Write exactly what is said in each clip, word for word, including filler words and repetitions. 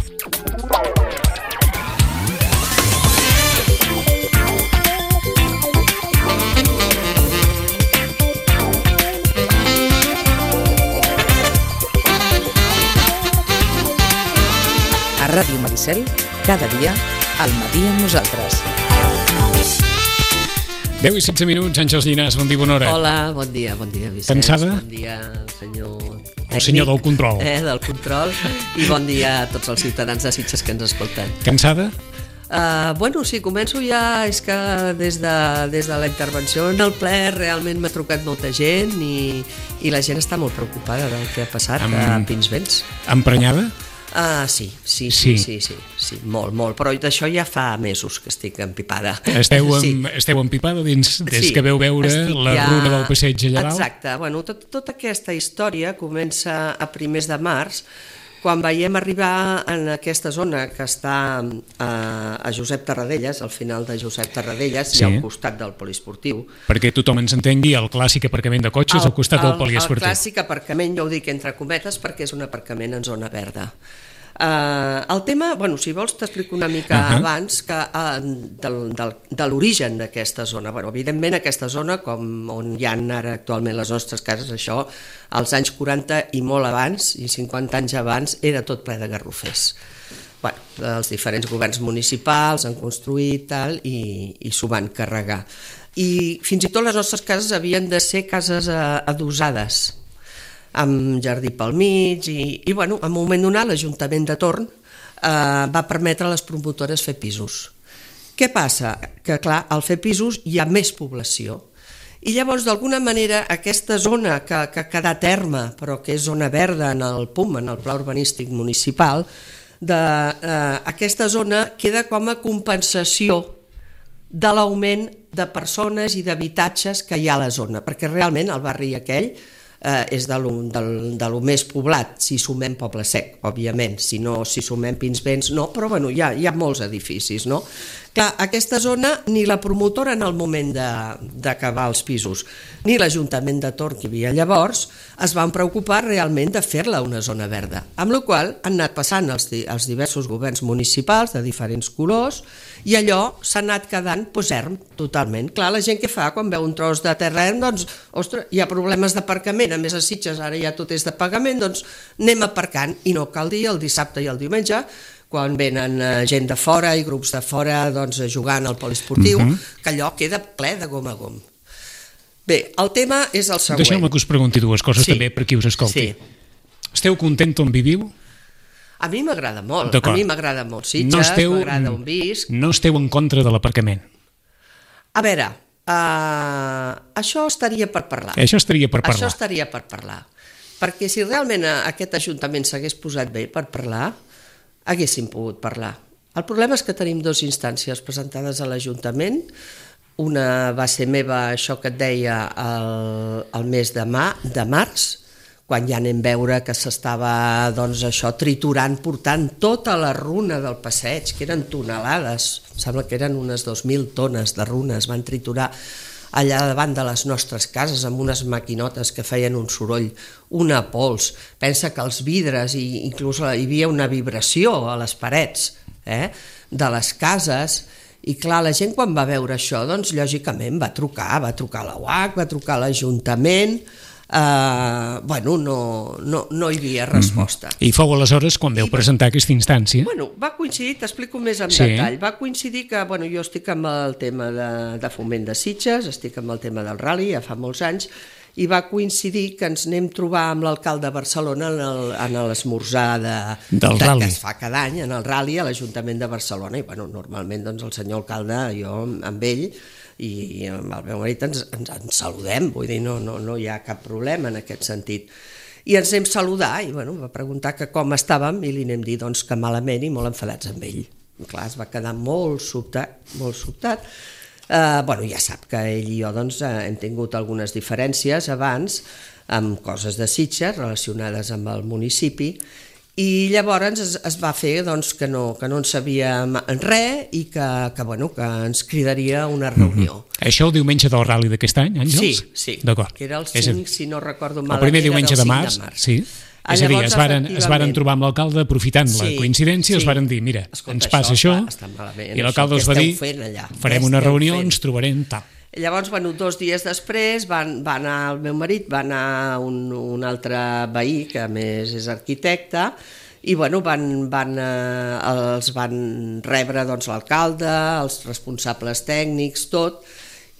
A Ràdio Maricel, cada dia, al matí amb nosaltres. deu i setze minuts, Àngels Llinàs, bon dia, bona hora. Hola, bon dia, bon dia, Vicenç. Cansada? Bon dia, senyor tècnic. El senyor del control. Eh, del control. I bon dia a tots els ciutadans de Sitges que ens escolten. Cansada? Uh, bueno, sí, començo ja, és que des de, des de la intervenció en el ple realment m'ha trucat molta gent i, i la gent està molt preocupada del que ha passat Am... a Pinsbens. Emprenyada? Ah, sí, sí, sí, sí, sí, sí, sí, molt, molt, però d'això ja fa mesos que estic empipada. Esteu, sí. en, esteu empipada dins, des sí, que veu veure la ja... runa del passeig allà dalt? Exacte, bueno, tot, tota aquesta història comença a primers de març, quan veiem arribar en aquesta zona que està a, a Josep Tarradellas, al final de Josep Tarradellas, sí. I al costat del poliesportiu. Perquè tothom ens entengui, el clàssic aparcament de cotxes el, al costat el, del poliesportiu. El clàssic aparcament, jo ho dic entre cometes, perquè és un aparcament en zona verda. Uh, el tema, bueno, si vols t'explico una mica uh-huh. abans que, uh, del, del, de l'origen d'aquesta zona. Bueno, evidentment aquesta zona, com on hi ha ara actualment les nostres cases, això als anys quaranta i molt abans, i cinquanta anys abans, era tot ple de garrofers. Bueno, els diferents governs municipals han construït tal, i, i s'ho van carregar. I fins i tot les nostres cases havien de ser cases uh, adosades, amb jardí pel mig, i, i bueno, en un moment donat l'Ajuntament de torn eh, va permetre a les promotores fer pisos. Què passa? Que clar, al fer pisos hi ha més població, i llavors d'alguna manera aquesta zona que, que ha quedat erma, però que és zona verda en el P U M, en el Pla Urbanístic Municipal, de, eh, aquesta zona queda com a compensació de l'augment de persones i d'habitatges que hi ha a la zona, perquè realment el barri aquell Eh, és de lo, de, de lo més poblat, si sumem Poble Sec, òbviament, si no, si sumem Pinsbens, no, però bueno, hi ha, hi ha molts edificis, no? Clar, aquesta zona, ni la promotora en el moment d'acabar els pisos, ni l'Ajuntament de Torn, que hi havia llavors, es van preocupar realment de fer-la una zona verda, amb la qual han anat passant els, els diversos governs municipals de diferents colors, i allò s'ha anat quedant pues, erm, totalment. Clar, la gent que fa quan veu un tros de terra erm, doncs, ostres, hi ha problemes d'aparcament, a més a Sitges ara ja tot és de pagament, doncs anem aparcant, i no cal dir el dissabte i el diumenge, quan venen gent de fora i grups de fora doncs, jugant al poliesportiu, uh-huh. que allò queda ple de gom a gom. Bé, el tema és el següent. Deixeu-me que us pregunti dues coses sí. també per qui us escolti. Sí. Esteu content on viviu? A mi m'agrada molt, a mi m'agrada molt Sitges, no esteu, m'agrada on visc. No esteu en contra de l'aparcament? A veure, uh, això estaria per parlar. Això estaria per parlar. Això estaria per parlar. Perquè si realment aquest Ajuntament s'hagués posat bé per parlar, haguéssim pogut parlar. El problema és que tenim dues instàncies presentades a l'Ajuntament. Una va ser meva, això que et deia, el, el mes de, mà, de març, quan ja anem a veure que s'estava doncs, això triturant, portant tota la runa del passeig, que eren tonelades, sembla que eren unes dos mil tones de runes, van triturar allà davant de les nostres cases amb unes maquinotes que feien un soroll, una pols. Pensa que els vidres, i inclús hi havia una vibració a les parets eh, de les cases, i clar, la gent quan va veure això, doncs lògicament va trucar, va trucar a la U A C, va trucar a l'Ajuntament. Uh, bueno, no, no, no hi havia resposta. Mm-hmm. I fou aleshores quan veu I, presentar aquesta instància? Bueno, va coincidir, t'explico més en sí. detall, va coincidir que bueno, jo estic amb el tema de, de foment de Sitges, estic amb el tema del rally ja fa molts anys, i va coincidir que ens anem a trobar amb l'alcalde de Barcelona en l'esmorzar de, de, que es fa cada any, en el rally a l'Ajuntament de Barcelona, i bueno, normalment doncs, el senyor alcalde, jo amb ell i amb el meu marit ens, ens, ens saludem, vull dir, no, no, no hi ha cap problema en aquest sentit. I ens anem a saludar i bueno, va preguntar que com estàvem i li anem a dir doncs, que malament i molt enfadats amb ell. I clar, es va quedar molt sobtat, molt sobtat. Uh, bueno, ja sap que ell i jo doncs, hem tingut algunes diferències abans amb coses de Sitges relacionades amb el municipi, i llavors es, es va fer doncs, que, no, que no en sabíem res i que, que, bueno, que ens cridaria una reunió. Mm-hmm. Això el diumenge del rally d'aquest any, Àngels? Sí, sí, d'acord. Que era el cinc, si no recordo mal, el primer diumenge de març, de març. Sí. És a dir, es varen, es varen trobar amb l'alcalde aprofitant sí, la coincidència, sí. els varen dir, mira, escolta, ens passa això, això malament, i l'alcalde els va dir, farem una reunió, fent? ens trobarem tal. Llavors, bueno, dos dies després van, va anar el meu marit, va anar un, un altre veí, que a més és arquitecte, i bueno, van, van, eh, els van rebre doncs, l'alcalde, els responsables tècnics, tot,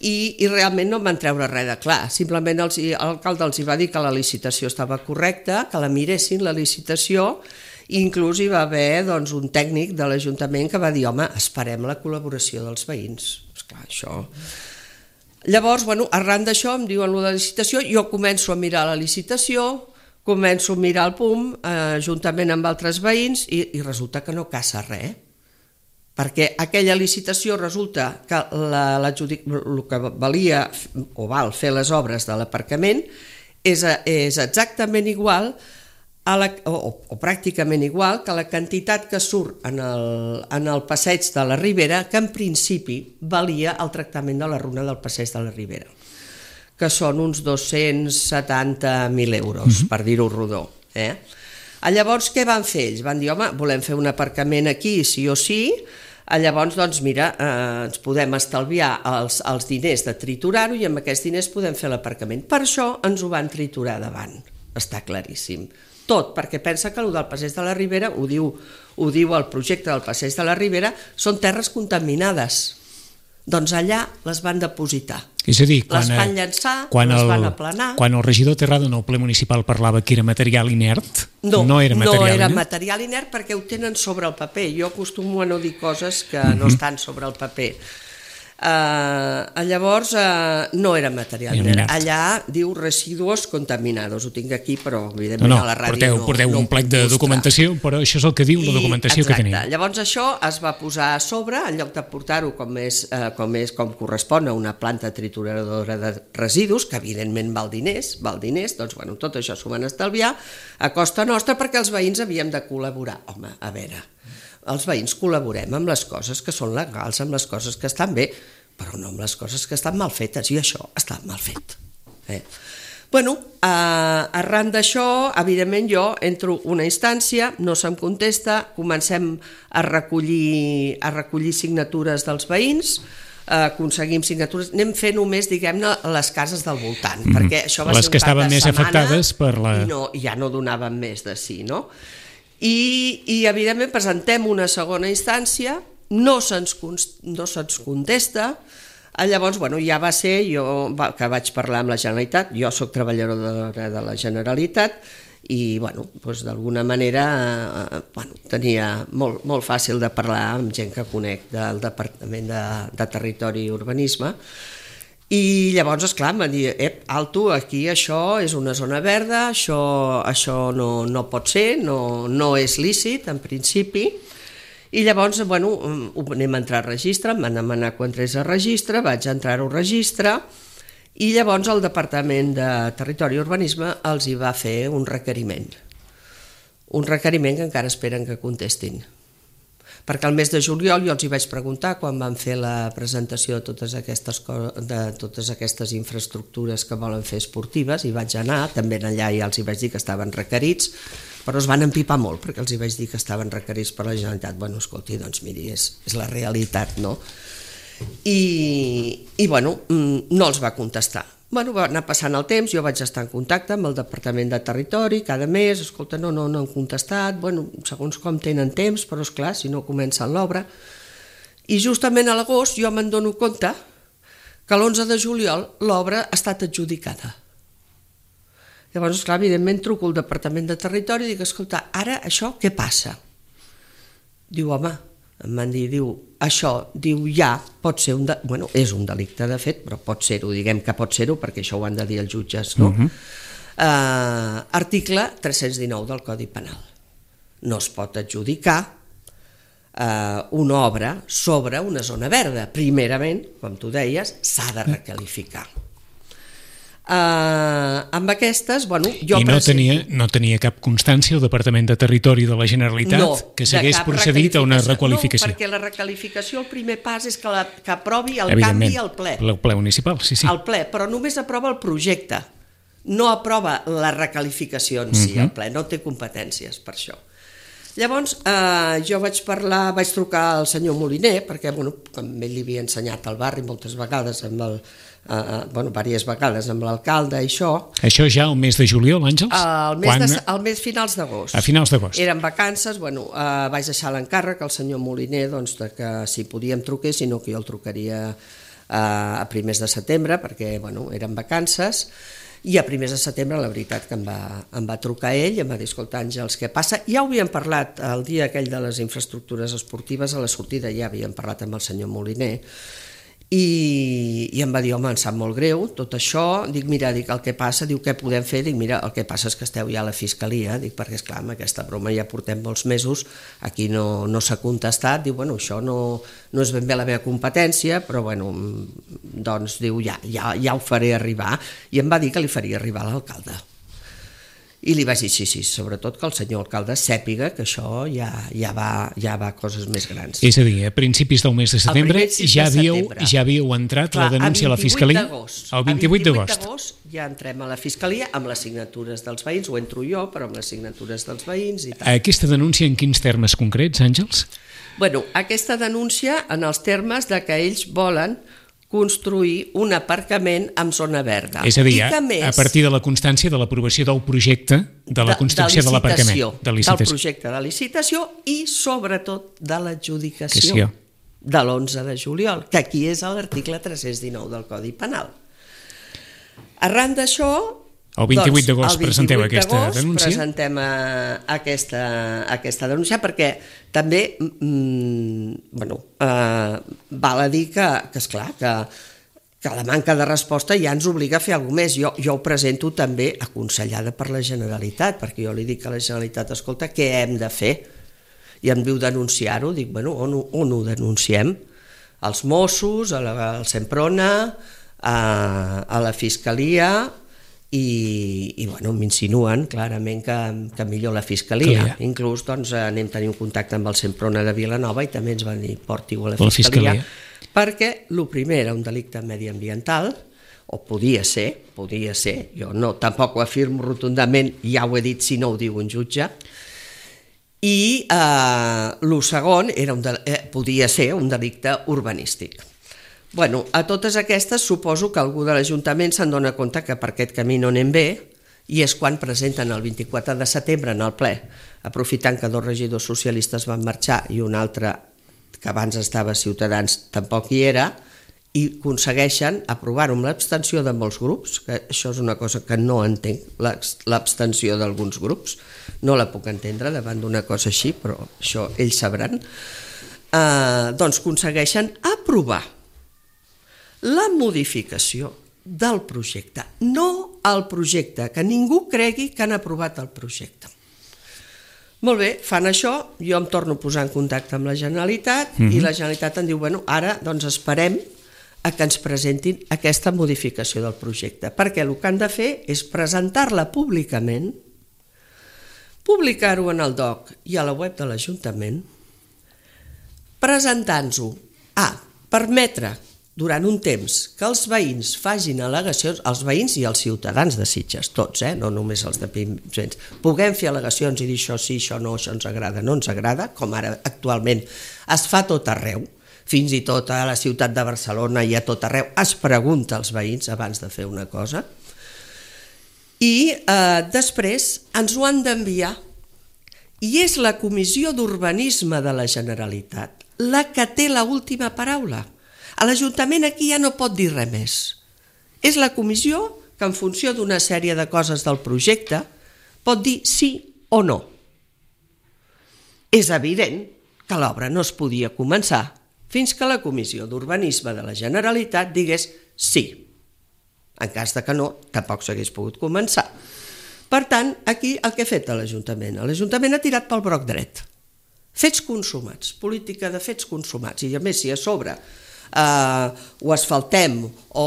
I, i realment no em van treure res de clar, simplement l'alcalde els va dir que la licitació estava correcta, que la miressin la licitació, i inclús hi va haver doncs, un tècnic de l'Ajuntament que va dir, home, esperem la col·laboració dels veïns. Esclar, això... Llavors, bueno, arran d'això em diuen la licitació, jo començo a mirar la licitació, començo a mirar el P U M eh, juntament amb altres veïns i, i resulta que no caça res, perquè aquella licitació resulta que la, la, el que valia o val fer les obres de l'aparcament és, és exactament igual a la, o, o pràcticament igual que la quantitat que surt en el, en el passeig de la Ribera, que en principi valia el tractament de la runa del passeig de la Ribera, que són uns dos-cents setanta mil euros, mm-hmm. per dir-ho rodó. Eh? Llavors, què van fer ells? Van dir, home, volem fer un aparcament aquí, sí o sí. Llavors, doncs, mira, eh, ens podem estalviar els, els diners de triturar-ho i amb aquests diners podem fer l'aparcament. Per això ens ho van triturar davant, està claríssim. Tot, perquè pensa que el del passeig de la Ribera, ho diu, ho diu el projecte del passeig de la Ribera, són terres contaminades. Doncs allà les van depositar. És a dir, quan, les van llançar, quan les el, van aplanar. Quan el regidor Terrado en el ple municipal parlava que era material inert, no, no era material no era inert? material inert perquè ho tenen sobre el paper. Jo acostumo a no dir coses que uh-huh. no estan sobre el paper. Uh, llavors uh, no era material inert. Allà diu residuos contaminados, ho tinc aquí però evidentment no, no, a la ràdio porteu, no, porteu no un plec de documentació, però això és el que diu I, la documentació exacte. que tenim. Llavors això es va posar a sobre, en lloc de portar-ho com, és, uh, com, és, com correspon a una planta trituradora de residus, que evidentment val diners, val diners, doncs bueno, tot això s'ho van estalviar a costa nostra perquè els veïns havíem de col·laborar. Home, a veure, els veïns col·laborem amb les coses que són legals, amb les coses que estan bé, però no amb les coses que estan mal fetes, i això està mal fet. Eh? Bueno, eh, arran d'això, evidentment jo entro una instància, no se'm contesta, comencem a recollir, a recollir signatures dels veïns, eh, aconseguim signatures, anem fent només, diguem-ne, les cases del voltant, mm-hmm. perquè això va les ser un cap de setmana, les que estaven més afectades per la... i no, ja no donaven més de sí, no? I, i evidentment presentem una segona instància, no se'ns no se'ns contesta, llavors bueno, ja va ser jo que vaig parlar amb la Generalitat, jo soc treballadora de, de la Generalitat i bueno, doncs d'alguna manera eh, bueno, tenia molt, molt fàcil de parlar amb gent que conec del Departament de, de Territori i Urbanisme i llavors, esclar, em van dir ep, alto, aquí això és una zona verda, això, això no, no pot ser, no, no és lícit en principi. I llavors, bueno, anem a entrar a registre, em van demanar quan entrés a registre, vaig entrar-ho a registre i llavors el Departament de Territori i Urbanisme els hi va fer un requeriment. Un requeriment que encara esperen que contestin. Perquè el mes de juliol jo els hi vaig preguntar quan van fer la presentació de totes aquestes, de totes aquestes infraestructures que volen fer esportives i vaig anar, també allà ja els hi vaig dir que estaven requerits, però es van empipar molt perquè els hi vaig dir que estaven requerits per la Generalitat. Bueno, escolti, doncs miri, és, és la realitat, no? I, i bueno, no els va contestar. Bueno, va anar passant el temps, jo vaig estar en contacte amb el Departament de Territori cada mes, escolta, no, no, no han contestat, bueno, segons com tenen temps, però esclar, si no comencen l'obra. I justament a l'agost jo me'n dono compte que l'onze de juliol l'obra ha estat adjudicada. Llavors, esclar, evidentment truco al Departament de Territori i dic, escolta, ara això què passa? Diu, home, em van dir, diu, això, diu, ja pot ser un... De... Bueno, és un delicte, de fet, però pot ser-ho, diguem que pot ser-ho, perquè això ho han de dir els jutges, no? Uh-huh. uh, article tres-cents dinou del Codi Penal. No es pot adjudicar uh, una obra sobre una zona verda. Primerament, com tu deies, s'ha de requalificar. Uh, amb aquestes, bueno, jo... I no tenia, no tenia cap constància el Departament de Territori de la Generalitat no, que s'hagués procedit a una requalificació. No, perquè la requalificació, el primer pas és que, la, que aprovi el canvi al ple. El ple municipal, sí, sí. El ple, però només aprova el projecte. no aprova la recalificació en si, el ple no té competències per això. Llavors, eh, jo vaig parlar, vaig trucar al senyor Moliner, perquè, bueno, com ell li havia ensenyat al barri moltes vegades, amb el, eh, bueno, diverses vegades amb l'alcalde i això. Això ja el mes de juliol, Àngels? El mes, Quan... de, el mes finals d'agost. A finals d'agost. Eren vacances, bueno, eh, vaig deixar l'encàrrec al senyor Moliner, doncs, de que si podíem trucar, si no que jo el trucaria eh, a primers de setembre, perquè, bueno, eren vacances. I a primers de setembre, la veritat, que em va, em va trucar ell i em va dir, escolta, Àngels, què passa? Ja ho havíem parlat el dia aquell de les infraestructures esportives, a la sortida ja havíem parlat amb el senyor Moliner, i, i em va dir, home, em sap molt greu tot això. Dic, mira, dic, el que passa, diu, què podem fer? Dic, mira, el que passa és que esteu ja a la Fiscalia, dic, perquè, esclar, amb aquesta broma ja portem molts mesos, aquí no, no s'ha contestat. Diu, bueno, això no, no és ben bé la meva competència, però, bueno, doncs, diu, ja, ja, ja ho faré arribar. I em va dir que li faria arribar a l'alcalde. I li vaig dir, sí, sí, sobretot que el senyor alcalde sàpiga que això ja, ja, va, ja va a coses més grans. És a dir, a principis del mes de setembre ja havíeu, ja havíeu entrat Clar, la denúncia a la Fiscalia? El vint-i-vuit d'agost. Ja entrem a la Fiscalia amb les signatures dels veïns, ho entro jo, però amb les signatures dels veïns i tal. Aquesta denúncia en quins termes concrets, Àngels? Bueno, aquesta denúncia en els termes de que ells volen construir un aparcament amb zona verda. És a dir, a, més, a partir de la constància de l'aprovació del projecte de la construcció de, de l'aparcament. De licitació. Del projecte de licitació i, sobretot, de l'adjudicació de l'onze de juliol, que aquí és l'article tres-cents dinou del Codi Penal. Arran d'això, el vint-i-vuit d'agost presenteu aquesta denúncia? Presentem aquesta, aquesta denúncia perquè també mm, bueno, eh, val a dir que, que esclar, que, que la manca de resposta ja ens obliga a fer alguna més. Jo, jo ho presento també aconsellada per la Generalitat, perquè jo li dic a la Generalitat, escolta, què hem de fer? I em diu denunciar-ho, dic, bueno, on, on ho denunciem? Als Mossos, a la, al Semprona, a, a la Fiscalia... i, i bueno, m'insinuen clarament que, que millor la Fiscalia. Clar. Inclús doncs, anem tenir un contacte amb el Semprona de Vilanova i també ens van dir porti-ho a la Fiscalia, la Fiscalia. Perquè el primer era un delicte mediambiental, o podia ser, podia ser, jo no, tampoc ho afirmo rotundament, ja ho he dit si no ho diu un jutge, i eh, el segon era un de, eh, podia ser un delicte urbanístic. Bueno, a totes aquestes suposo que algú de l'Ajuntament se'n dona compte que per aquest camí no anem bé i és quan presenten el vint-i-quatre de setembre en el ple, aprofitant que dos regidors socialistes van marxar i un altre que abans estava a Ciutadans tampoc hi era, i aconsegueixen aprovar-ho amb l'abstenció de molts grups, que això és una cosa que no entenc, l'abstenció d'alguns grups, no la puc entendre davant d'una cosa així, però això ells sabran, eh, doncs aconsegueixen aprovar la modificació del projecte, no el projecte, que ningú cregui que han aprovat el projecte. Molt bé, fan això, jo em torno a posar en contacte amb la Generalitat mm-hmm. i la Generalitat em diu, bueno, ara doncs esperem a que ens presentin aquesta modificació del projecte, perquè el que han de fer és presentar-la públicament, publicar-ho en el D O C i a la web de l'Ajuntament, presentant-ho a permetre durant un temps que els veïns facin al·legacions, els veïns i els ciutadans de Sitges, tots, eh? No només els de Pinsbens, puguem fer al·legacions i dir això sí, això no, això ens agrada, no ens agrada, com ara actualment es fa tot arreu, fins i tot a la ciutat de Barcelona i a tot arreu es pregunta als veïns abans de fer una cosa, i eh, després ens ho han d'enviar, i és la Comissió d'Urbanisme de la Generalitat la que té l'última paraula. A l'Ajuntament aquí ja no pot dir res més. És la comissió que en funció d'una sèrie de coses del projecte pot dir sí o no. És evident que l'obra no es podia començar fins que la Comissió d'Urbanisme de la Generalitat digués sí. En cas de que no, tampoc s'hagués pogut començar. Per tant, aquí el que ha fet l'Ajuntament? L'Ajuntament ha tirat pel broc dret. Fets consumats, política de fets consumats. I a més, si a sobre Uh, ho asfaltem o,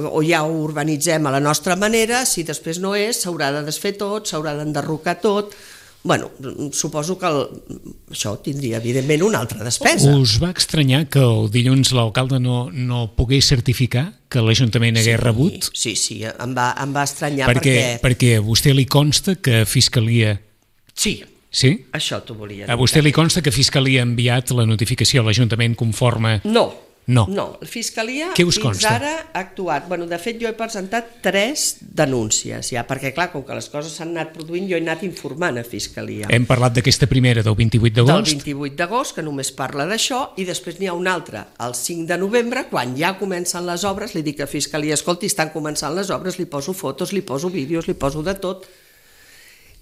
o ja ho urbanitzem a la nostra manera, si després no és, s'haurà de desfer tot, s'haurà d'enderrocar tot, bueno, suposo que el, això tindria, evidentment, una altra despesa. Us va estranyar que el dilluns l'alcalde no, no pogués certificar que l'Ajuntament hagués sí, rebut? Sí, sí, em va, em va estranyar perquè... Perquè, perquè a vostè li consta que Fiscalia... Sí, sí? Això t'ho volia dir. A vostè li consta que Fiscalia ha enviat la notificació a l'Ajuntament conforme... No. No. No, la Fiscalia fins consta? Ara ha actuat. Bueno, de fet, jo he presentat tres denúncies, ja, perquè, clar, com que les coses s'han anat produint, jo he anat informant a Fiscalia. Hem parlat d'aquesta primera, del vint-i-vuit d'agost? Del vint-i-vuit d'agost, que només parla d'això, i després n'hi ha una altra, el cinc de novembre, quan ja comencen les obres, li dic a Fiscalia, escolti, estan començant les obres, li poso fotos, li poso vídeos, li poso de tot.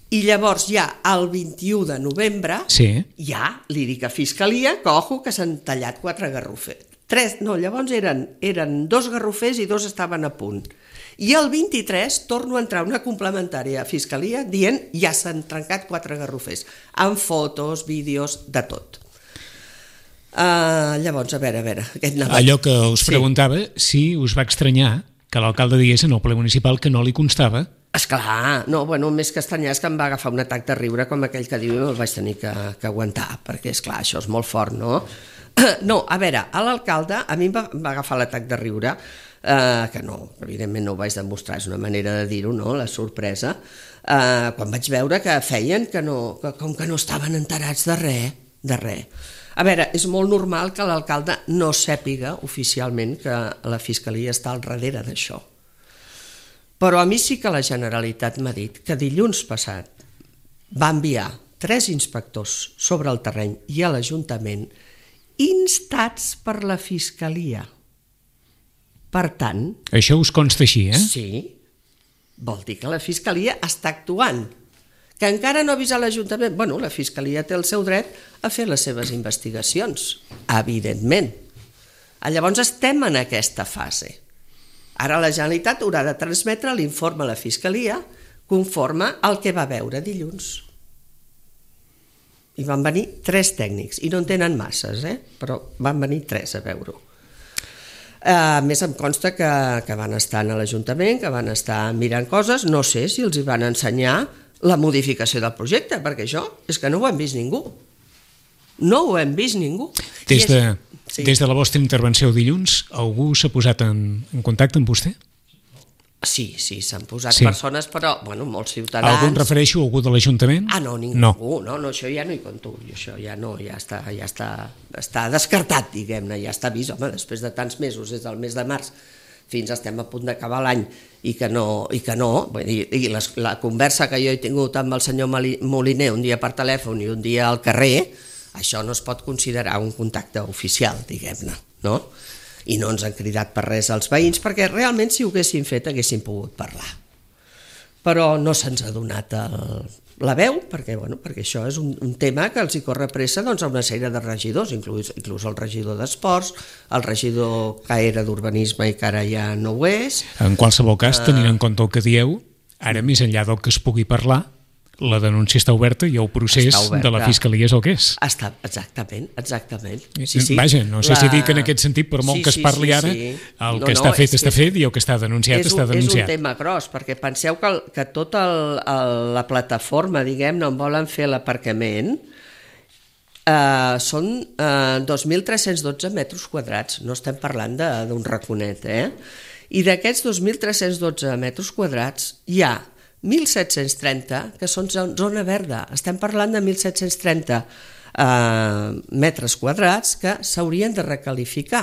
I llavors ja el vint-i-u de novembre, sí. ja li dic a Fiscalia que, ojo, que s'han tallat quatre garrofers. Tres, no, llavors eren, eren dos garrofers i dos estaven a punt. I el vint-i-tres torno a entrar una complementària a Fiscalia dient ja s'han trencat quatre garrofers, amb fotos, vídeos, de tot. Uh, llavors, a veure, a veure... Aquest allò que us sí. preguntava, si us va estranyar que l'alcalde digués en el ple municipal que no li constava. Esclar, no, bueno, més que estranyar és que em va agafar un atac de riure com aquell que diu i me'l vaig tenir que, que aguantar, perquè, esclar, això és molt fort, no? No, a veure, a l'alcalde a mi em va, va agafar l'atac de riure, eh, que no, evidentment no ho vaig demostrar, és una manera de dir-ho, no?, la sorpresa, eh, quan vaig veure que feien que no, que, com que no estaven enterats de res, de res. A veure, és molt normal que l'alcalde no sàpiga oficialment que la Fiscalia està al darrere d'això. Però a mi sí que la Generalitat m'ha dit que dilluns passat va enviar tres inspectors sobre el terreny i a l'Ajuntament instats per la Fiscalia. Per tant... Això us consta així, eh? Sí. Vol dir que la Fiscalia està actuant. Que encara no ha avisat l'Ajuntament. Bueno, la Fiscalia té el seu dret a fer les seves investigacions, evidentment. Llavors estem en aquesta fase. Ara la Generalitat haurà de transmetre l'informe a la Fiscalia conforme al que va veure dilluns. I van venir tres tècnics, i no en tenen masses, eh? Però van venir tres a veure-ho. A més, em consta que, que van estar a l'Ajuntament, que van estar mirant coses, no sé si els hi van ensenyar la modificació del projecte, perquè això és que no ho hem vist ningú. No ho hem vist ningú. Des de, sí. des de la vostra intervenció dilluns, algú s'ha posat en, en contacte amb vostè? Sí, sí, s'han posat sí. persones, però, bueno, molts ciutadans... Algú en refereixo a algú de l'Ajuntament? Ah, no, ningú, no. no, no, això ja no hi conto, això ja no, ja està, ja està, està descartat, diguem-ne, ja està vist, home, després de tants mesos, des del mes de març fins estem a punt d'acabar l'any i que no, i que no, i, i les, la conversa que jo he tingut amb el senyor Moliner un dia per telèfon i un dia al carrer, això no es pot considerar un contacte oficial, diguem-ne, no? I no ens han cridat per res als veïns, perquè realment si ho haguessin fet haguessin pogut parlar. Però no se'ns ha donat el, la veu, perquè, bueno, perquè això és un, un tema que els hi corre pressa doncs, a una sèrie de regidors, inclús, inclús el regidor d'Esports, el regidor que era d'Urbanisme i que ara ja no ho és. En qualsevol cas, tenint en compte el que dieu, ara més enllà del que es pugui parlar, la denúncia està oberta i el procés de la Fiscalia és el que és. Està, exactament, exactament. Sí, sí. Vaja, no sé la... si dic en aquest sentit, per molt sí, que es parli sí, sí, ara, sí. el no, que no, està fet està és, fet i el que està denunciat un, està denunciat. És un tema gros, perquè penseu que, que tota el, el, la plataforma, diguem-ne, on volen fer l'aparcament, eh, són eh, dos mil tres-cents dotze metres quadrats, no estem parlant d'un raconet, eh? I d'aquests dos mil tres-cents dotze metres quadrats hi ha mil set-cents trenta que són zona verda. Estem parlant de mil set-cents trenta eh, metres quadrats que s'haurien de recalificar.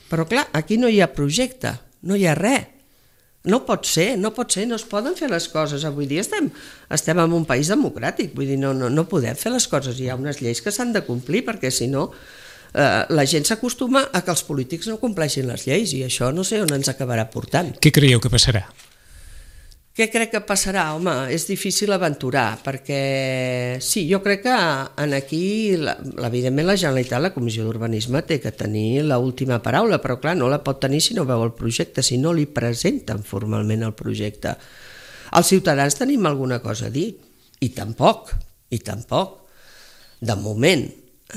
Però clar, aquí no hi ha projecte, no hi ha res. No pot ser, no pot ser, no es poden fer les coses. Avui dia estem, estem en un país democràtic, vull dir, no, no, no podem fer les coses. Hi ha unes lleis que s'han de complir, perquè si no eh, la gent s'acostuma a que els polítics no compleixin les lleis i això no sé on ens acabarà portant. Què creieu que passarà? Què crec que passarà? Home, és difícil aventurar, perquè sí, jo crec que en aquí, evidentment la Generalitat, la Comissió d'Urbanisme té que tenir l'última paraula, però clar, no la pot tenir si no veu el projecte, si no li presenten formalment el projecte. Els ciutadans tenim alguna cosa a dir, i tampoc, i tampoc, de moment.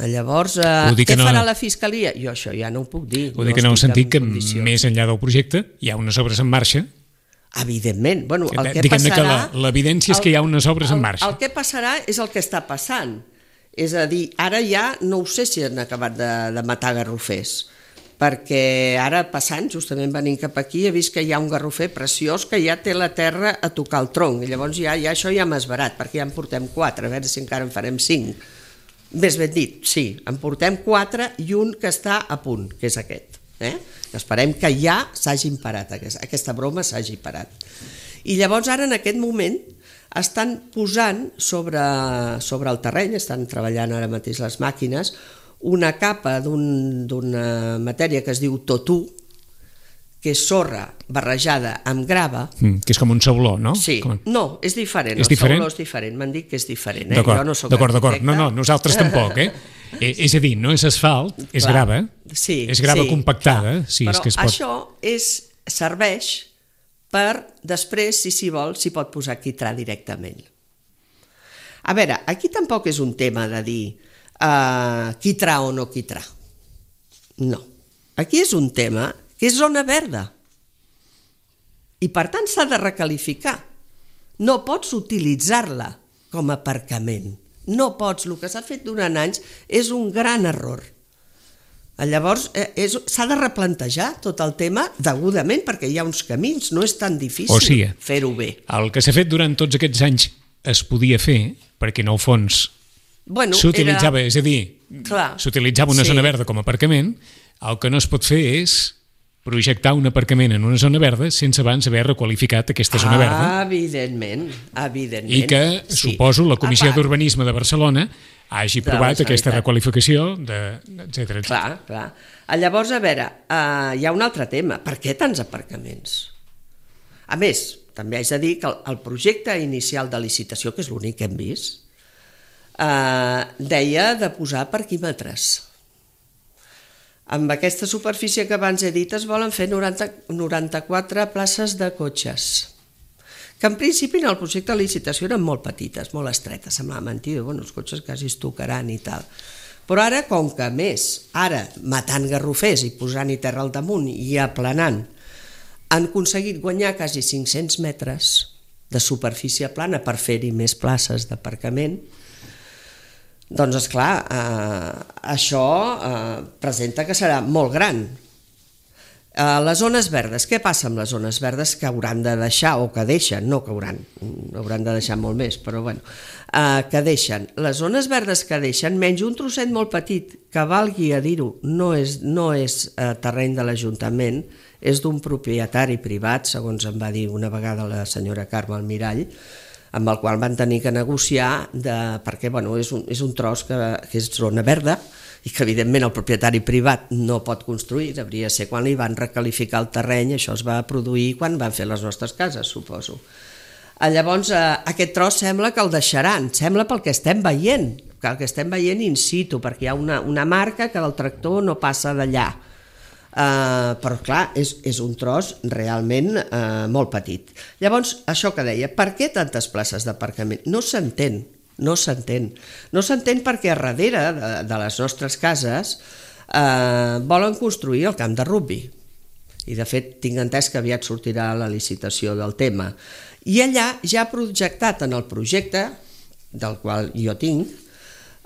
Llavors, eh, què no... farà la Fiscalia? Jo això ja no ho puc dir. Ho dic no en el sentit que més enllà del projecte hi ha unes obres en marxa Evidentment. Bueno, el que Diguem-ne passarà... que l'evidència és que hi ha unes obres en marxa. El, el que passarà és el que està passant. És a dir, ara ja no ho sé si han acabat de, de matar garrofers, perquè ara passant, justament venint cap aquí, he vist que hi ha un garrofer preciós que ja té la terra a tocar el tronc, i llavors ja, ja això ja m'ha esverat, perquè ja en portem quatre, a veure si encara en farem cinc. Més ben dit, sí, en portem quatre i un que està a punt, que és aquest. Eh? Esperem que ja s'hagin parat, aquesta broma s'hagi parat. I llavors ara, en aquest moment, estan posant sobre, sobre el terreny, estan treballant ara mateix les màquines, una capa d'una un, matèria que es diu totú, que és sorra barrejada amb grava. Mm, que és com un sauló, no? Sí, com... no, és diferent, és el diferent? sauló és diferent, m'han dit que és diferent. Eh? D'acord, no d'acord, d'acord. No, no, nosaltres tampoc, eh? eh? És a dir, no és asfalt, és Clar. grava, sí, és grava sí, compactada. Sí, però és que es pot... això és, serveix per, després, si s'hi vol, s'hi pot posar quitrà directament. A veure, aquí tampoc és un tema de dir uh, quitrà o no quitrà. No. Aquí és un tema que és zona verda. I per tant s'ha de recalificar. No pots utilitzar-la com a aparcament. No pots. El que s'ha fet durant anys és un gran error. Llavors s'ha de replantejar tot el tema degudament perquè hi ha uns camins, no és tan difícil o sigui, fer-ho bé. El que s'ha fet durant tots aquests anys es podia fer perquè en el fons bueno, s'utilitzava, era... és a dir, s'utilitzava una sí. zona verda com a aparcament. El que no es pot fer és projectar un aparcament en una zona verda sense abans haver requalificat aquesta zona ah, verda. Evidentment, evidentment. I que, sí. suposo, la Comissió d'Urbanisme de Barcelona hagi provat aquesta requalificació, etcètera. Clar, clar. Llavors, a veure, uh, hi ha un altre tema. Per què tants aparcaments? A més, també haig de dir que el, el projecte inicial de licitació, que és l'únic que hem vist, uh, deia de posar parquímetres. Amb aquesta superfície que abans he dit es volen fer noranta, noranta-quatre places de cotxes, que en principi en el projecte de licitació eren molt petites, molt estretes, semblava mentida, bueno, els cotxes quasi es tocaran i tal. Però ara, com que més, ara matant garrofers i posant-hi terra al damunt i aplanant, han aconseguit guanyar quasi cinc-cents metres de superfície plana per fer-hi més places d'aparcament. Doncs, esclar, eh, això eh, presenta que serà molt gran. Eh, les zones verdes, què passa amb les zones verdes que hauran de deixar, o que deixen, no que hauran, hauran de deixar molt més, però bueno, eh, que deixen. Les zones verdes que deixen, menys un trosset molt petit, que valgui a dir-ho, no és, no és eh, terreny de l'Ajuntament, és d'un propietari privat, segons em va dir una vegada la senyora Carme Almirall, amb el qual van tenir que negociar de, perquè bueno, és, un, és un tros que, que és zona verda i que evidentment el propietari privat no pot construir, hauria de ser quan li van recalificar el terreny, això es va produir quan van fer les nostres cases, suposo. Llavors aquest tros sembla que el deixaran, sembla pel que estem veient, que el que estem veient in situ, perquè hi ha una, una marca que el tractor no passa d'allà. Uh, però clar, és, és un tros realment uh, molt petit. Llavors, això que deia, per què tantes places d'aparcament? No s'entén, no s'entén. No s'entén perquè a darrere de, de les nostres cases uh, volen construir el camp de rugbi. I de fet tinc entès que aviat sortirà la licitació del tema. I allà ja ha projectat en el projecte, del qual jo tinc,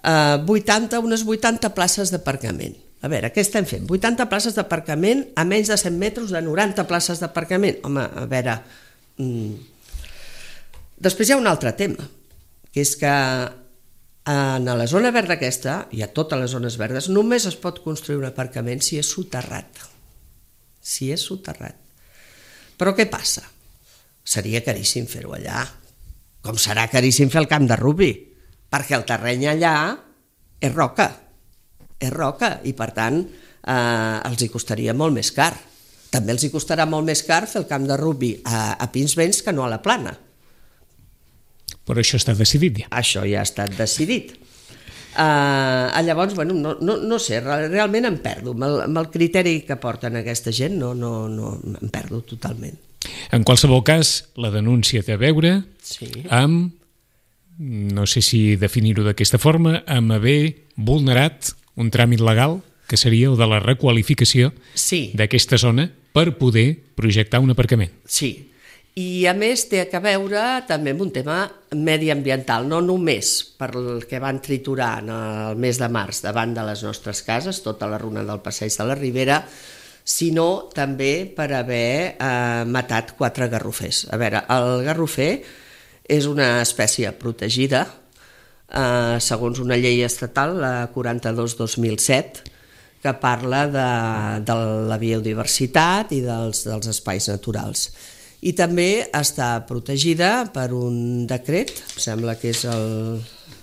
uh, vuitanta, unes vuitanta places d'aparcament. A veure, què estem fent? vuitanta places d'aparcament a menys de cent metres de noranta places d'aparcament. Home, a veure... Mm. Després hi ha un altre tema, que és que en la zona verda aquesta, i a totes les zones verdes, només es pot construir un aparcament si és soterrat. Si és soterrat. Però què passa? Seria caríssim fer-ho allà. Com serà caríssim fer el camp de rugbi? Perquè el terreny allà és roca. és roca i per tant eh, els hi costaria molt més car. També els hi costarà molt més car fer el camp de rugbi a, a Pinsbens que no a la Plana. Però això està decidit ja. Això ja ha estat decidit. Uh, llavors, bueno, no, no, no sé, realment em perdo. Amb el, amb el criteri que porten aquesta gent no, no, no, em perdo totalment. En qualsevol cas, la denúncia té a veure sí. amb, no sé si definir-ho d'aquesta forma, amb haver vulnerat un tràmit legal, que seria el de la requalificació sí. d'aquesta zona per poder projectar un aparcament. Sí, I a més té a veure també amb un tema mediambiental, no només per el que van triturar en el mes de març davant de les nostres cases, tota la runa del Passeig de la Ribera, sinó també per haver eh, matat quatre garrofers. A veure, el garrofer és una espècie protegida, eh, segons una llei estatal, la quaranta-dos dos mil set, que parla de, de la biodiversitat i dels, dels espais naturals. I també està protegida per un decret, em sembla que és el,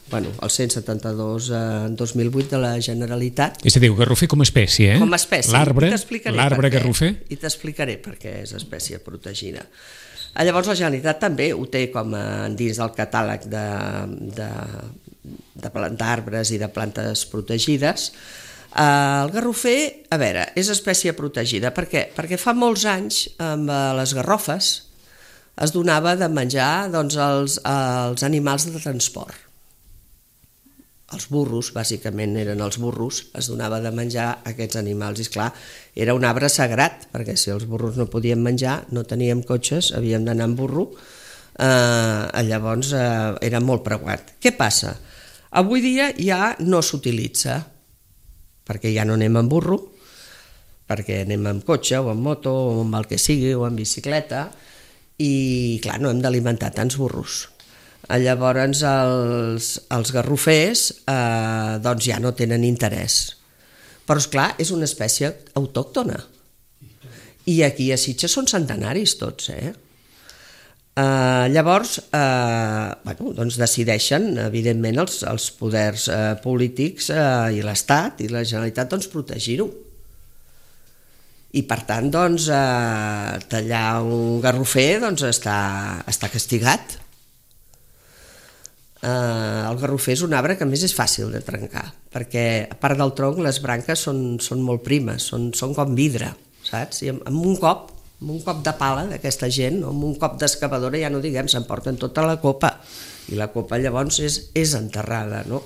bueno, el cent setanta-dos dos mil vuit de la Generalitat. És a dir, garrofer com a espècie, eh? Com a espècie. L'arbre, l'arbre garrofer. I t'explicaré per què és espècie protegida. Llavors la Generalitat també ho té com a, dins del catàleg de, de, de, d'arbres i de plantes protegides. El garrofer, a veure, és espècie protegida. Per què? Perquè fa molts anys amb les garrofes es donava de menjar doncs, els, els animals de transport. Els burros, bàsicament eren els burros, es donava de menjar a aquests animals. I esclar, era un arbre sagrat, perquè si els burros no podien menjar, no teníem cotxes, havíem d'anar amb burro, eh, llavors eh, era molt preuat. Què passa? Avui dia ja no s'utilitza, perquè ja no anem amb burro, perquè anem amb cotxe o amb moto o amb el que sigui o amb bicicleta i clar, no hem d'alimentar tants burros. Llavors els, els garrofers eh, doncs ja no tenen interès. Però esclar, és una espècie autòctona i aquí a Sitges són centenaris tots, eh? Uh, llavors uh, bueno, doncs decideixen evidentment els, els poders uh, polítics uh, i l'Estat i la Generalitat doncs, protegir-ho i per tant doncs, uh, tallar un garrofer doncs, està, està castigat. Uh, el garrofer és un arbre que a més és fàcil de trencar perquè a part del tronc les branques són, són molt primes, són, són com vidre, saps? I amb, amb un cop amb un cop de pala d'aquesta gent, o amb un cop d'excavadora, ja no diguem, s'emporten tota la copa, i la copa llavors és, és enterrada, no?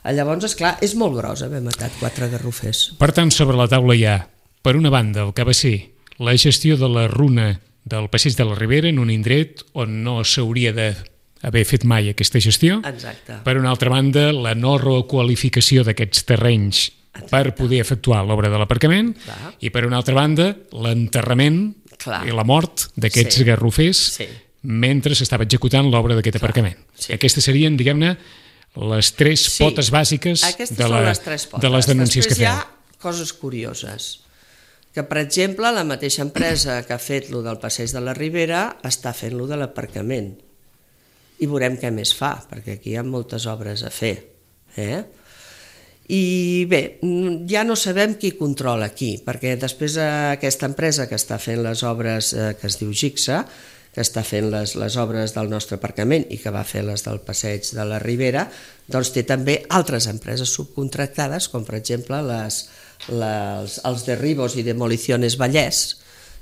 Llavors, esclar, és molt gros haver matat quatre garrofers. Per tant, sobre la taula hi ha, per una banda, el que va ser la gestió de la runa del Passeig de la Ribera en un indret on no s'hauria d'haver fet mai aquesta gestió. Exacte. Per una altra banda, la no requalificació d'aquests terrenys Exacte. Per poder efectuar l'obra de l'aparcament. Clar. I per una altra banda, l'enterrament Clar. I la mort d'aquests sí. garrofers sí. mentre s'estava executant l'obra d'aquest Clar. Aparcament. Sí. Aquestes serien, diguem-ne, les tres sí. potes bàsiques de, la, les tres potes. de les denúncies Després que feu. Hi ha coses curioses, que per exemple la mateixa empresa que ha fet lo del Passeig de la Ribera està fent lo de l'aparcament. I veurem què més fa, perquè aquí hi ha moltes obres a fer. Eh? I bé, ja no sabem qui controla qui, perquè després aquesta empresa que està fent les obres, eh, que es diu Gixa, que està fent les, les obres del nostre aparcament i que va fer les del Passeig de la Ribera, doncs té també altres empreses subcontractades, com per exemple les, les, els Derribos i Demoliciones Vallès,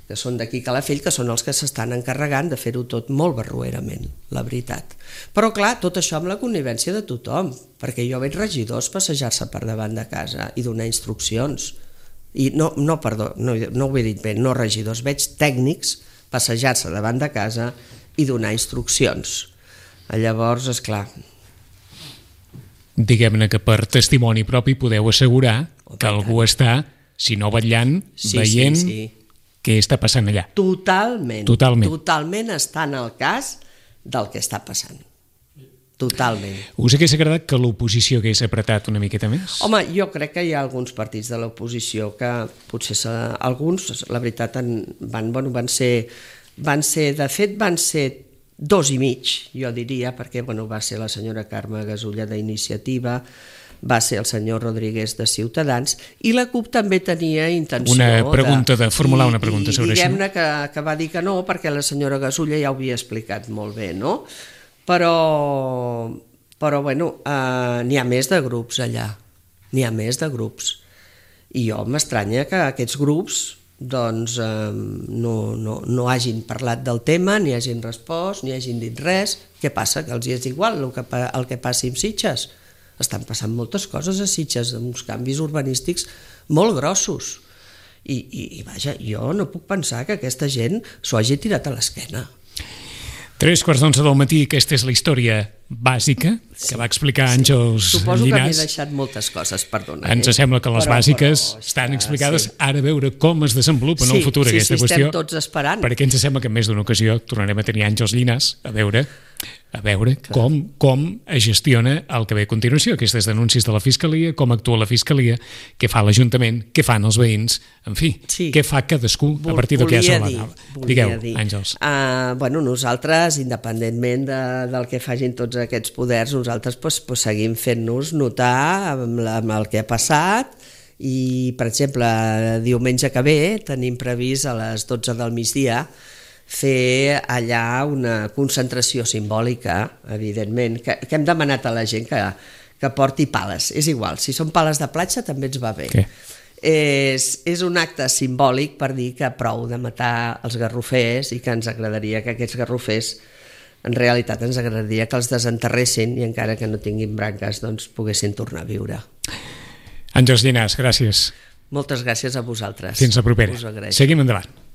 que són d'aquí Calafell, que són els que s'estan encarregant de fer-ho tot molt barroerament, la veritat. Però clar, tot això amb la connivència de tothom, perquè jo veig regidors passejar-se per davant de casa i donar instruccions. I no, no perdó, no, no ho he dit bé, no regidors, veig tècnics passejar-se davant de casa i donar instruccions. Llavors, esclar... Diguem-ne que per testimoni propi podeu assegurar que algú està, si no vetllant, sí, veient... Sí, sí. Què està passant allà? Totalment, totalment. Totalment està en el cas del que està passant. Totalment. Us hagués agradat que l'oposició hagués apretat una miqueta més? Home, jo crec que hi ha alguns partits de l'oposició que potser alguns, la veritat, van, bueno, van ser, van ser, de fet van ser dos i mig, jo diria, perquè bueno, va ser la senyora Carme Gasulla d'Iniciativa, va ser el senyor Rodríguez de Ciutadans i la CUP també tenia intenció una pregunta de, de formular una pregunta i, sobre i diguem-ne això. Que, que va dir que no perquè la senyora Gasulla ja ho havia explicat molt bé, no? Però, però bueno, eh, n'hi ha més de grups allà, n'hi ha més de grups i jo m'estranya que aquests grups doncs eh, no, no, no hagin parlat del tema, ni hagin respost, ni hagin dit res. Què passa? Que els és igual el que, el que passi amb Sitges. Estan passant moltes coses a Sitges, uns canvis urbanístics molt grossos. I, i, i vaja, jo no puc pensar que aquesta gent s'ho hagi tirat a l'esquena. Tres quarts d'onze del matí, aquesta és la història bàsica que sí, va explicar sí. Àngels Suposo Llinàs. que m'he deixat moltes coses, perdona. Ens eh? sembla que les però, bàsiques però, estan està, explicades, sí. ara a veure com es desenvolupa sí, en el futur sí, aquesta sí, qüestió. estem tots esperant. Perquè ens sembla que en més d'una ocasió tornarem a tenir Àngels Llinàs a veure a veure com, com es gestiona el que ve a continuació, aquestes denúncies de la Fiscalia, com actua la Fiscalia, què fa l'Ajuntament, què fan els veïns, en fi, sí. què fa cadascú a partir del que ha salvat. Digueu, dir. Àngels. Uh, bueno, nosaltres, independentment de, del que facin tots aquests poders, nosaltres pues, pues, seguim fent-nos notar amb, la, amb el que ha passat i, per exemple, diumenge que ve tenim previst a les dotze del migdia fer allà una concentració simbòlica, evidentment, que, que hem demanat a la gent que, que porti pales. És igual, si són pales de platja també ens va bé. Okay. És, és un acte simbòlic per dir que prou de matar els garrofers i que ens agradaria que aquests garrofers, en realitat ens agradaria que els desenterressin i encara que no tinguin branques doncs poguessin tornar a viure. Àngels Llinàs, gràcies. Moltes gràcies a vosaltres. Fins la propera. Seguim endavant.